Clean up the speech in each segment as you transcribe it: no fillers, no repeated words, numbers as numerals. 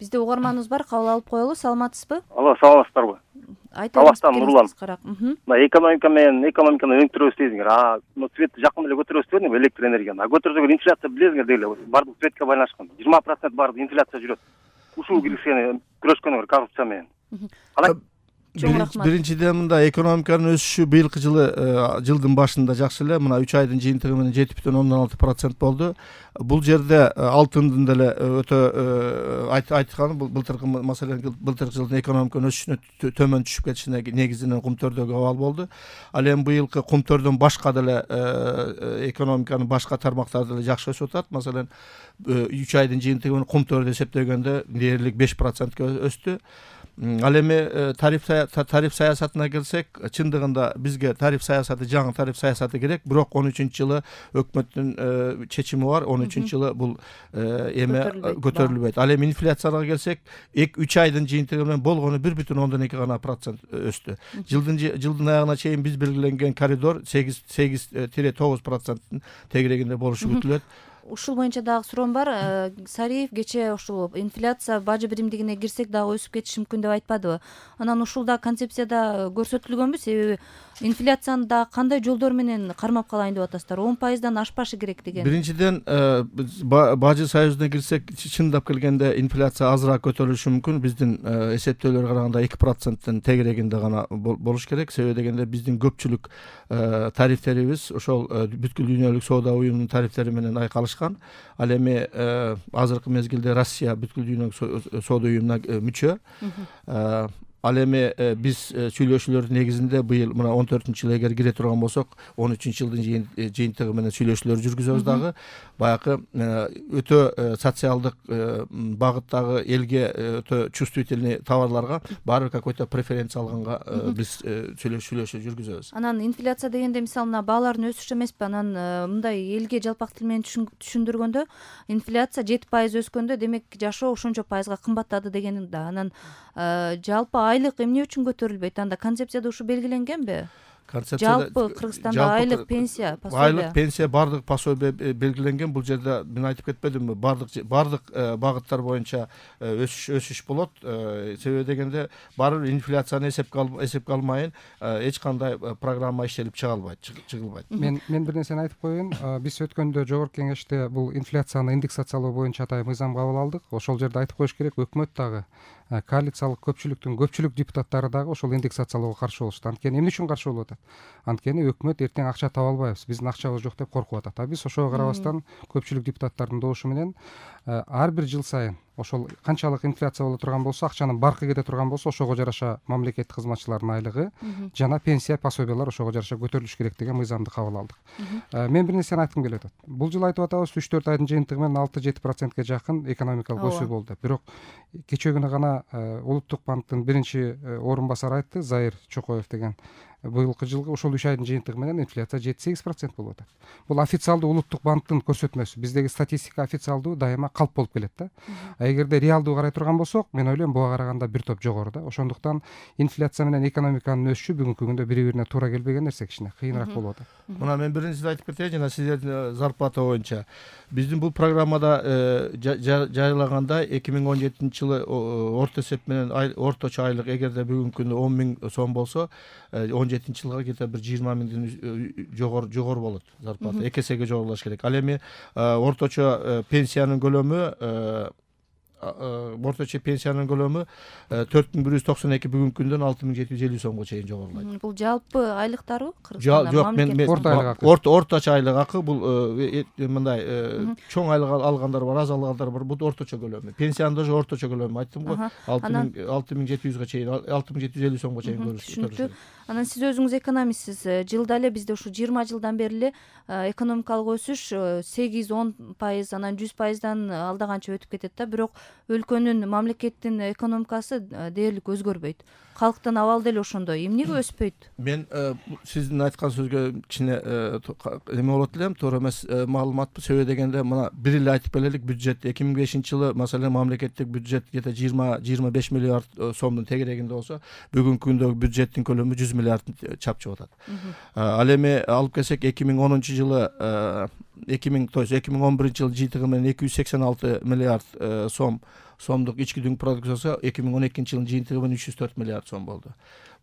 Бизде угарманыбыз бар, кабыл алып коелу. Саламатсызбы? Алло, саламатсыздарбы? Талаштан Нурлан. Карак. Мына экономиканы өңтүрөбүз дейсиңер. Светти жакында эле көтөрөбүз дедиңер, электр энергияны. Көтөрсөк инфляция билесиңер деги бардык светке байланышкан. 20% бардык инфляция жүрөт. Ушул киргизгени күрөшкөнүңөр коррупция менен. Калай? Биринчиден мында экономиканын өсүшү быйылкы жылдын башында жакшы эле, мына 3 айдын жыйынтыгы менен 7,6% болду. Бул жерде алтындын деле өтө айтканы былтыркы маселен былтыркы жылдын экономиканын өсүшүнө төмөн түшүп кетишине негизинен кумтөрдөгү абал болду. Ал эми быйылкы кумтөрдөн башка деле экономиканын башка тармактары деле жакшы өсүп атат. Маселен 3 айдын жыйынтыгы менен кумтөрдү эсептегенде дээрлик 5%га өстү. Ал эми тариф саясатына келсек, чындыгында бизге тариф саясаты, жаңы тариф саясаты керек, бирок 13-жылы өкмөттүн чечими бар, 13-жылы бул эме көтөрүлбөйт. Ал эми инфляцияга келсек, 3 айдын жыйынтыгы менен болгону 1,2 гана процент өстү. Жылдын аягына чейин биз белгиленген коридор 8-9% тегерегинде болушу күтүлөт. Ушул боюнча дагы суроом бар. Сариев кечээ ушул инфляция бажы биримдигине кирсек дагы өсүп кетиши мүмкүн деп айтпадыбы? Анан ушулда концепцияда көрсөтүлгөнбү? Себеби инфляцияны да кандай жолдор менен кармап калайын деп атасыздар? 10%дан ашпашы керек деген. Биринчиден, бажы союзуна кирсек, чындап келгенде инфляция азыраак көтөрүлүшү мүмкүн. Биздин эсептөөлөргө караганда 2%-тын тегерегинде гана болуш керек. Себеби дегенде биздин көпчүлүк тарифтерибиз ошол бүткүл дүйнөлүк соода уюмунун тарифтери менен айкалышкан. Ал эми азыркы мезгилде Россия бүткүл дүйнөлүк соода уюмуна мүчө. Ал эми биз сүйлөшүүлөрдүн негизинде быйыл мына 14-жылы эгер кире турган болсок, 13-жылдын жыйынтыгы менен сүйлөшүүлөр жүргүзөбүз дагы. Баягы өтө социалдык багыттагы элге өтө чувствительный товарларга баары какой-то преференция алганга биз сүйлөшүү жүргүзөбүз. Анан инфляция дегенде мисалы мына баалардын өсүшү эмеспи? Анан мындай элге жалпак тил менен түшүндүргөндө инфляция 7% өскөндө демек жашоо ошончо пайызга кымбаттады деген да. Анан жалпы айлык эмне үчүн көтөрүлбөйт? Анда концепцияда ушу белгиленгенби? Жалпы Кыргызстанда айлык пенсия, пособие. Айлык пенсия, бардык пособие белгиленген. Бул жерде мен айтып кетпедимби? Бардык багыттар боюнча өсүш болот. Себеби дегенде баары инфляцияны эсепке алмайын эч кандай программа иштелип чыгылбайт. Мен бир нерсени айтып коеюн. Биз өткөндө жогорку кеңеште бул инфляцияны индексациялоо боюнча атайын мыйзам кабыл алдык. Ошол жерде айтып коюш керек, өкмөт дагы коалициялык көпчүлүктүн көпчүлүк депутаттары дагы ошол индексациялоого каршы болушту. Анткени эмне үчүн каршы болуп атат? Анткени өкмөт эртең акча таба албайбыз, биздин акчабыз жок деп коркуп атат. А биз ошого карабастан көпчүлүк депутаттардын добушу менен ар бир жыл сайын ошол канчалык инфляция боло турган болсо, акчанын баркы кете турган болсо, ошого жараша мамлекеттик кызматчылардын айлыгы жана пенсия, пособиялар ошого жараша көтөрүлүш керек деген мыйзамды кабыл алдык. Мен бир нерсени айткым келип атат. Бул жыл айтып атабыз, 3-4 айдын жыйынтыгы менен 6-7%га жакын экономикалык өсүү болду. Бирок кечээ күнү гана Улуттук банктын биринчи орун басары айтты, Заир Чокоев деген, быйылкы жылгы ошол 3 айдын жыйынтыгы менен инфляция 7-8% болуп атат. Бул официалдуу Улуттук банктын көрсөтмөсү. Биздеги статистика официалдуу дайыма калп болуп келет да. Эгерде реалдуу карай турган болсок, мен ойлойм буга караганда бир топ жогору да. Ошондуктан инфляция менен экономиканын өсүшү бүгүнкү күндө бири-бирине туура келбеген нерсе, кичине кыйыныраак болуп атат. Мына мен биринчиден айтып кетейин, жана сиздердин зарплата боюнча. Биздин бул программада жарыялаганда 2017-жылы орто эсеп менен орточо айлык эгерде бүгүнкү күндө 10 000 сом болсо, 17-жылга где-то бир 20 000ден жогору болот зарплата. 2 эсеге жогорулаш керек. Ал эми орточо пенсиянын көлөмү 4192 бүгүнкү күндөн 6750 сомго чейин жогорулайт. Бул жалпы айлыктарбы Кыргызстанда? Жок, мен орточо айлык акы бул мындай чоң айлык алгандар бар, аз алгандар бар. Бул орточо көлөмү. Пенсиянын да орточо көлөмү айттым го. 6700га чейин, 6750 сомго чейин көрүшү. Анан сиз өзүңүз экономистсиз. Жылда эле бизде ушу 20 жылдан бери эле экономикалык өсүш 8-10%, анан 100%дан алдаганча өтүп кетет да. Бирок өлкөнүн, мамлекеттин экономикасы дээрлик өзгөрбөйт. Калктын абалы деле ошондой. Эмнеге өспөйт? Мен сиздин айткан сөзгө кичине эме болот элем, туура эмес маалымат. Себеби дегенде мына бир эле айтып келелик, бюджет 2005-жылы маселен мамлекеттик бюджет где-то 20-25 миллиард сомдун тегерегинде болсо, бүгүнкү күндөгү бюджеттин көлөмү 100 миллиард чапчып атат. Ал эми алып келсек 2010-жылы 2011-жылы жыйынтыгы менен 286 миллиард сом сомдук ички дүң продукциясы 2012 жылдын жыйынтыгы менен 304 миллиард сом болду.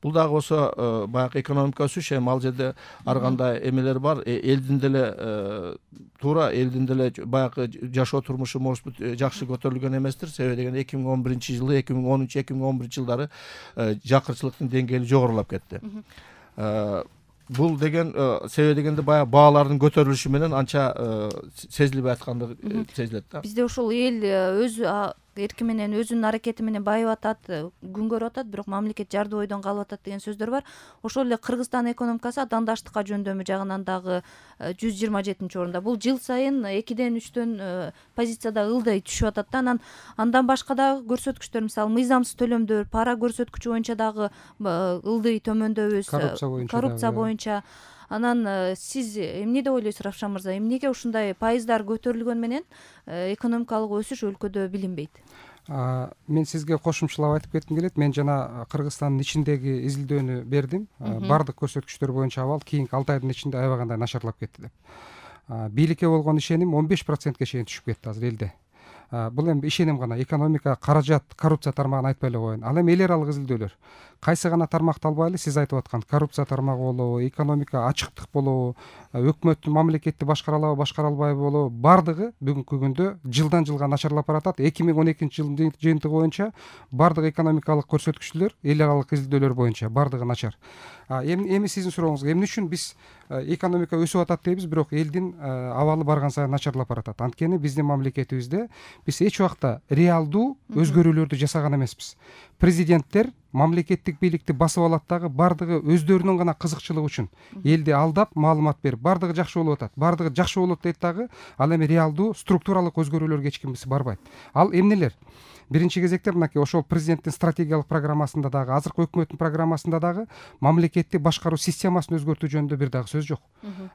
Бул дагы болсо баягы экономика өсүш, эми ал жерде ар кандай эмелер бар. Элдин деле туура элдин деле баягы жашоо турмушу может быть жакшы көтөрүлгөн эместир. Себеби дегенде 2011 жылы, 2013, 2011 жылдары жакырчылыктын деңгээли жогорулап кетти. Бул деген себеби дегенде баягы баалардын көтөрүлүшү менен анча сезилбей аткандыгы сезилет да. Бизде ушул эл өз эрки менен өзүнүн аракети менен байып атат, күн көрүп атат, бирок мамлекет жарды бойдон калып атат деген сөздөр бар. Ошол эле Кыргызстан экономикасы атаандаштыкка жөндөмү жагынан дагы 127-орунда. Бул жыл сайын 2ден 3төн позицияда ылдый түшүп атат да. Андан башка дагы көрсөткүчтөр, мисалы мыйзамсыз төлөмдөр, пара көрсөткүчү боюнча дагы ылдый төмөндөбүз. Коррупция боюнча. Анан сиз эмне деп ойлойсуз, Равшан мырза? Эмнеге ушундай пайыздар көтөрүлгөн менен экономикалык өсүш өлкөдө билинбейт? Мен сизге кошумчалап айтып кетким келет. Мен жана Кыргызстандын ичиндеги изилдөөнү бердим. Бардык көрсөткүчтөр боюнча абал кийинки 6 айдын ичинде аябагандай начарлап кетти деп. Бийликке болгон ишеним 15%ке чейин түшүп кетти азыр элде. Бул эми ишеним гана, экономика, каражат, коррупция тармагын айтпай эле коеюн. Ал эми эл аралык изилдөөлөр. Кайсы гана тармакты албайлы, сиз айтып аткан коррупция тармагы болобу, экономика ачыктык болобу, өкмөттүн мамлекетти башкара алабы, башкара албайбы болобу, бардыгы бүгүнкү күндө жылдан жылга начарлап баратат. 2012 жылдын жыйынтыгы боюнча бардык экономикалык көрсөткүчтөр эл аралык изилдөөлөр боюнча бардыгы начар. Эми сиздин сурооңузга, эмне үчүн биз экономика өсүп атат дейбиз, бирок элдин абалы барган сайын начарлап баратат? Анткени биздин мамлекетибизде биз эч убакта реалдуу өзгөрүүлөрдү жасаган эмеспиз. Президенттер мамлекеттик бийликти басып алат дагы бардыгы өздөрүнүн гана кызыкчылыгы үчүн элди алдап маалымат берип, бардыгы жакшы болуп атат, бардыгы жакшы болот дейт дагы, ал эми реалдуу структуралык өзгөрүүлөргө эч кимиси барбайт. Ал эмнелер? Биринчи кезекте мынакей ошол президенттин стратегиялык программасында дагы, азыркы өкмөттүн программасында дагы мамлекетти башкаруу системасын өзгөртүү жөнүндө бир дагы сөз жок.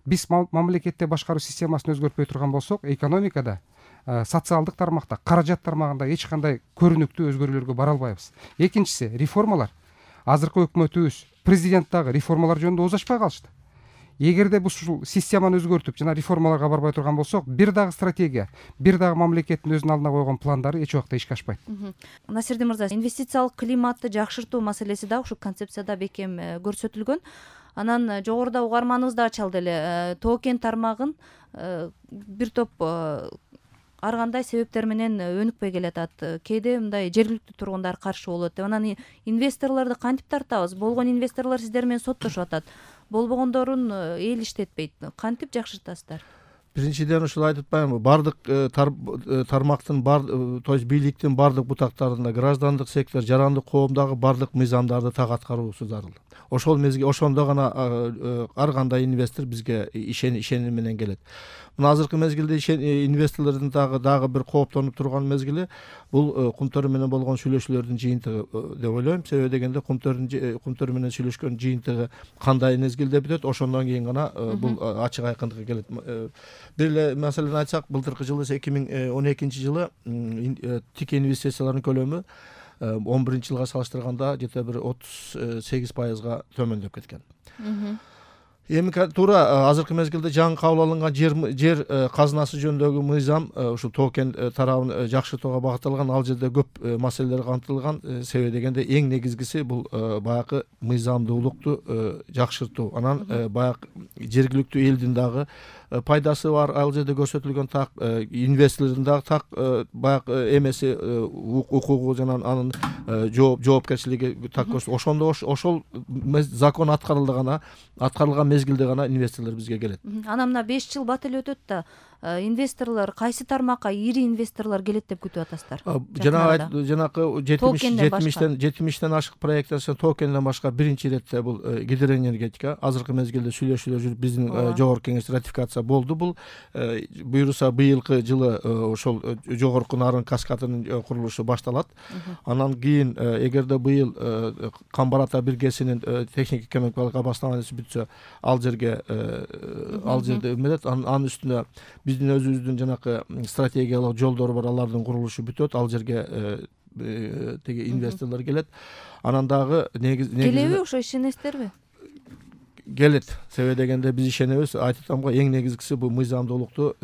Биз мамлекетти башкаруу системасын өзгөртпөй турган болсок, экономикада, социалдык тармакта, каражат тармагында эч кандай көрүнүктүү өзгөрүүлөргө бара албайбыз. Экинчиси, реформалар. Азыркы өкмөтүбүз, президент дагы реформалар жөнүндө ооз ачпай калышты. Эгерде биз ушул системаны өзгөртүп жана реформаларга барбай турган болсок, бир дагы стратегия, бир дагы мамлекеттин өзүнүн алдына койгон пландары эч убакта ишке ашпайт. Насирдин мырза, инвестициялык климатты жакшыртуу маселеси дагы ушул концепцияда бекем көрсөтүлгөн. Анан жогоруда угарманыбыз да ачалды эле, токен тармагын бир топ ар кандай себептер менен өнүкпөй келатат. Кээде мындай жергиликтүү тургундар каршы болот деп. Анан инвесторлорду кантип тартабыз? Болгон инвесторлор сиздер менен соттошуп атат. Болбогондорун эл иштетпейт. Кантип жакшыртасыздар? Биринчиден ушул айтып атпаймынбы, бардык тармактын, то есть бийликтин бардык бутактарында граждандык сектор, жарандык коомдогу бардык мыйзамдарды так аткаруусу зарыл. Ошол мезгил, ошондо гана ар кандай инвестор бизге ишеним менен келет. Мына азыркы мезгилде инвесторлордун дагы бир кооптонуп турган мезгили бул Кумтөр менен болгон сүйлөшүүлөрдүн жыйынтыгы деп ойлойм. Себеби дегенде Кумтөр менен сүйлөшкөн жыйынтыгы кандай мезгилде бүтөт, ошондон кийин гана бул ачык айкындыкка келет. Бир эле маселени айтсак, былтыркы жылы 2012 жылы тик инвестициялардын көлөмү 11 жылга салыштырганда жете бир 38%га төмөндөп кеткен. Эми туура азыркы мезгилде жаңы кабыл алынган жер казынасы жөнүндөгү мыйзам ушул токен тарабын жакшыртууга багытталган. Ал жерде көп маселелер камтылган. Себеби дегенде эң негизгиси бул баягы мыйзамдуулукту жакшыртуу. Анан баягы жергиликтүү элдин дагы пайдасы бар. Ал жерде көрсөтүлгөн так инвесторлордун дагы так баягы эмеси, укугу жана анын жоопкерчилиги так көрсөтүлөт. Ошондо ошол закон аткарылган мезгилде гана инвесторлор бизге келет. Анан мына 5 жыл бат эле өтөт да, инвесторлор кайсы тармакка ири инвесторлор келет деп күтүп атасыздар? Жанакы 70тен ашык проекттен токенден башка биринчи иретте бул гидроэнергетика. Азыркы мезгилде сүйлөшүүлөр жүрүп, биздин жогорку кеңеш ратификация болду. Бул буюрса быйылкы жылы ошол жогорку нарын каскадынын курулушу башталат. Анан кийин эгерде быйыл Камбар Ата биргесинин техник экономикалык обоснованиясы бүтсө, ал жерде эмелет, анын үстүнө биздин өзүбүздүн жанакы стратегиялык жолдор бар, алардын курулушу бүтөт, ал жерге теги инвесторлор келет. Анан дагы келеби, ошо ишенесиздерби? келет. Себеби дегенде биз ишенебиз, айтып атам го, эң негизгиси бул мыйзамдуулукту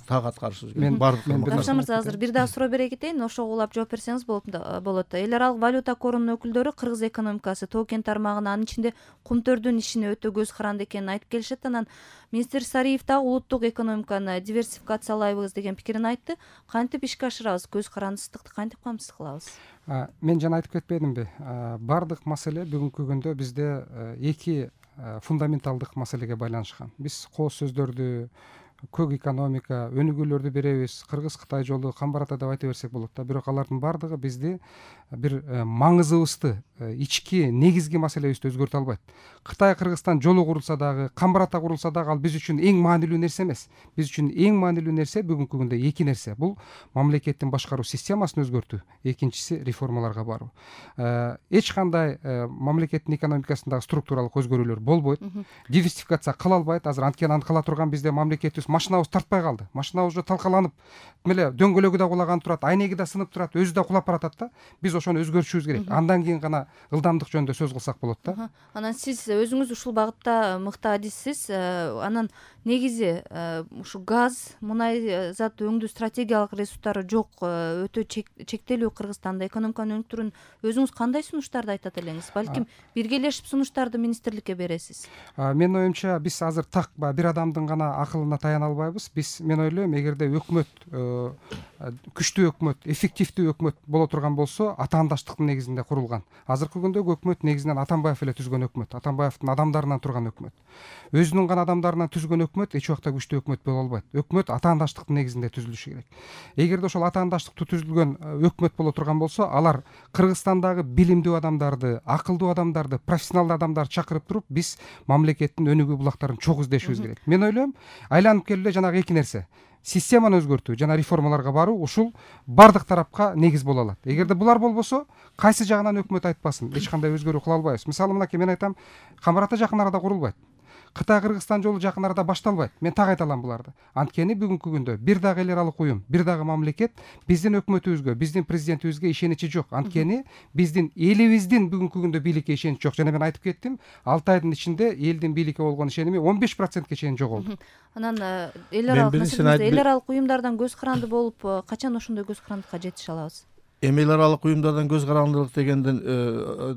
так аткарышыбыз керек. Бардык. Равшан мырза, азыр бир дагы суроо бере кетейин, ошого улап жооп берсеңиз болот. Эл аралык валюта корунун өкүлдөрү Кыргыз экономикасы Тоо-Кен тармагына, анын ичинде Кумтөрдүн ишине өтө көз каранды экенин айтып келишет. Анан министр Сариев дагы улуттук экономиканы диверсификациялайбыз деген пикирин айтты. Кантип ишке ашырабыз? Көз карандысыздыкты кантип камсыз кылабыз? Мен жана айтып кетпедимби? Бардык маселе бүгүнкү күндө бизде эки фундаменталдык маселеге байланышкан. Биз кооз сөздөрдү, көк экономика, өнүгүүлөрдү беребиз, Кыргыз-Кытай жолу, Камбарата деп айта берсек болот да. Бирок алардын бардыгы бизди бир маңызыбызды, ички негизги маселебизди өзгөртө албайт. Кытай Кыргызстан жолу курулса дагы, Камбарата курулса дагы ал биз үчүн эң маанилүү нерсе эмес. Биз үчүн эң маанилүү нерсе бүгүнкү күндө эки нерсе. Бул мамлекеттин башкаруу системасын өзгөртүү, экинчиси реформаларга баруу. Эч кандай мамлекеттин экономикасындагы структуралык өзгөрүүлөр болбойт. Диверсификация кыла албайт. Азыр анткени аны кыла турган бизде мамлекетибиз машинабыз тартпай калды. Машинабыз уже талкаланып, эле дөңгөлөгү да кулаган турат, айнеги да сынып турат, өзү да кулап баратат да. Биз ошону өзгөртүшүбүз керек. Андан кийин гана ылдамдык жөнүндө сөз кылсак болот да. Анан сиз өзүңүз ушул багытта мыкты адиссиз. Анан негизи ушу газ, мунай зат өңдүү стратегиялык ресурстары жок, өтө чектелүү Кыргызстанда экономиканы өнүктүрүүнүн өзүңүз кандай сунуштарды айтат элеңиз? Балким биргелешип сунуштарды министрликке бересиз. Менин оюмча биз азыр так бир адамдын гана акылына таяна албайбыз. Биз, мен ойлойм, эгерде өкмөт күчтүү өкмөт, эффективдүү өкмөт боло турган болсо, атаандаштыктын негизинде курулган. Азыркы күндөгү өкмөт негизинен Атамбаев эле түзгөн өкмөт, Атамбаевдин адамдарынан турган өкмөт. Өзүнүн гана адамдарынан түзгөн өкмөт эч убакта күчтүү өкмөт боло албайт. Өкмөт атаандаштыктын негизинде түзүлүшү керек. Эгерде ошол атаандаштыктуу түзүлгөн өкмөт боло турган болсо, алар Кыргызстандагы билимдүү адамдарды, акылдуу адамдарды, профессионалдуу адамдарды чакырып туруп, биз мамлекеттин өнүгүү булактарын чогуу издешибиз керек. Мен ойлойм, айланып келип эле жанагы эки нерсе: системаны өзгөртүү жана реформаларга баруу, ушул бардык тарапка негиз боло алат. Эгерде булар болбосо, кайсы жагынан өкмөт айтпасын, эч кандай өзгөрүү кыла албайбыз. Мисалы, мынакей мен айтам, Камбарата жакын арада курулбайт. Кытай-Кыргызстан жолу жакын арада башталбайт. Мен так айта алам буларды. Анткени бүгүнкү күндө бир дагы эл аралык уюм, бир дагы мамлекет биздин өкмөтүбүзгө, биздин президентибизге ишеничи жок. Анткени биздин элибиздин бүгүнкү күндө бийликке ишеничи жок. Жана мен айтып кеттим, 6 айдын ичинде элдин бийликке болгон ишеними 15%ке чейин жоголду. Анан эл аралык уюмдардан көз каранды болуп, качан ошондой көз карандыкка жетише алабыз? Эл аралык уюмдардан көз карандылык дегенден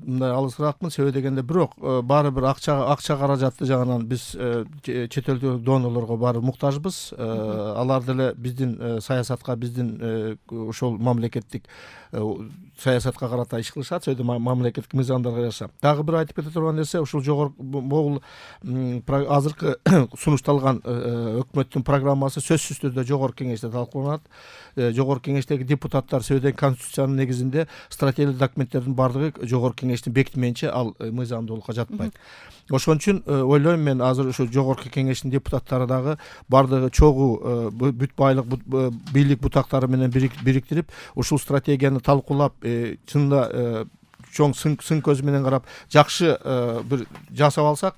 мындай алысыраакмын. Себеби дегенде бирок баары бир акча каражатты жагынан биз чет элдик донорлорго баары муктажбыз. Алар деле биздин саясатка, биздин ошол мамлекеттик саясатка карата иш кылышат, сөйдө мамлекеттик мыйзамдарга жараша. Дагы бир айтып кете турган нерсе, ушул жогорку могул азыркы сунушталган өкмөттүн программасы сөзсүз түрдө жогорку кеңеште талкууланат. Жогорку кеңештеги депутаттар сөйдөн конституциянын негизинде стратегиялык документтердин бардыгы жогорку кеңештин бекитменче ал мыйзамдуулукка жатпайт. Ошон үчүн ойлойм, мен азыр ушу жогорку кеңештин депутаттары дагы бардыгы чогуу бүт байлык бийлик бутактары менен бириктирип, ушул стратегияны талкуулап, чынында чоң сын көзү менен карап, жакшы бир жасап алсак,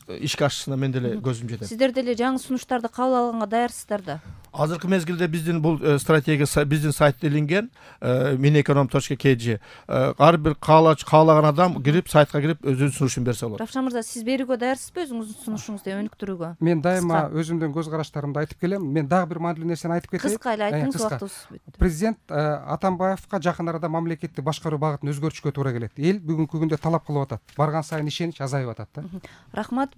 ишке ашышына мен деле көзүм жетет. Сиздер деле жаңы сунуштарды кабыл алганга даярсыздар да? Азыркы мезгилде биздин бул стратегия биздин сайтта илинген, mineconom.kg. Ар бир каалаган адам кирип, сайтка кирип өзүнүн сунушун берсе болот. Равшан мырза, сиз берүүгө даярсызбы өзүңүздүн сунушуңузду өнүктүрүүгө? Мен дайыма өзүмдүн көз караштарымды айтып келем. Мен дагы бир маанилүү нерсени айтып кетейин. Кыска эле айтыңыз, убактыбыз бүттү. Президент Атамбаевка жакын арада мамлекетти башкаруу багытын өзгөртүшкө туура келет. Эл бүгүнкү күндө талап кылып атат. Барган сайын ишенич азайып атат да. Рахмат.